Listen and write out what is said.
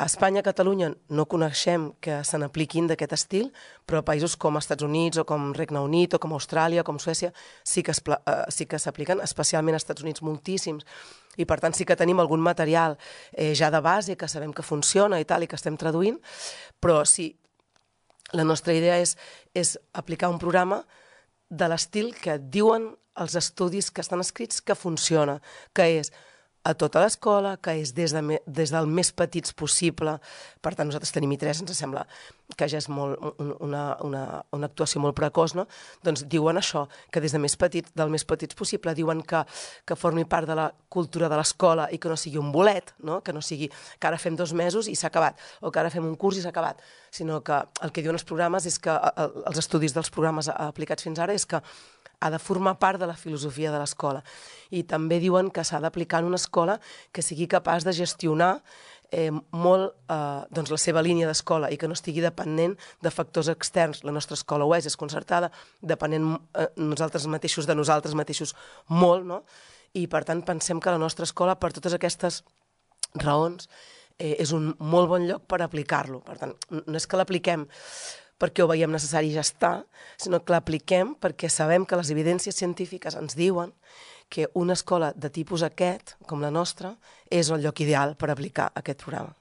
A Espanya, a Catalunya, no coneixem que se n'apliquin d'aquest estil, però a països com Estats Units o com Regne Unit o com Austràlia, com Suècia, sí que s'apliquen, especialment als Estats Units moltíssims, i per tant sí que tenim algun material ja de base que sabem que funciona i tal, i que estem traduint, però sí, la nostra idea és aplicar un programa de l'estil que diuen els estudis que estan escrits que funciona, que és a tota l'escola, que és des del més petits possible. Per tant, nosaltres tenim I3, ens sembla que ja és una actuació molt precoç, no? Doncs diuen això, que des del més petits possible, diuen que formi part de la cultura de l'escola i que no sigui un bolet, no? Que no sigui que ara fem 2 mesos i s'ha acabat, o que ara fem un curs i s'ha acabat, sinó que el que diuen els programes és que, els estudis dels programes aplicats fins ara, és que ha de formar part de la filosofia de l'escola. I també diuen que s'ha d'aplicar en una escola que sigui capaç de gestionar molt la seva línia d'escola i que no estigui dependent de factors externs. La nostra escola ho és concertada, depenent nosaltres mateixos de nosaltres mateixos molt, no? I per tant pensem que la nostra escola, per totes aquestes raons, és un molt bon lloc per aplicar-lo. Per tant, no és que l'apliquem perquè ho veiem necessari i ja està, sinó que l'apliquem perquè sabem que les evidències científiques ens diuen que una escola de tipus aquest, com la nostra, és el lloc ideal per aplicar aquest programa.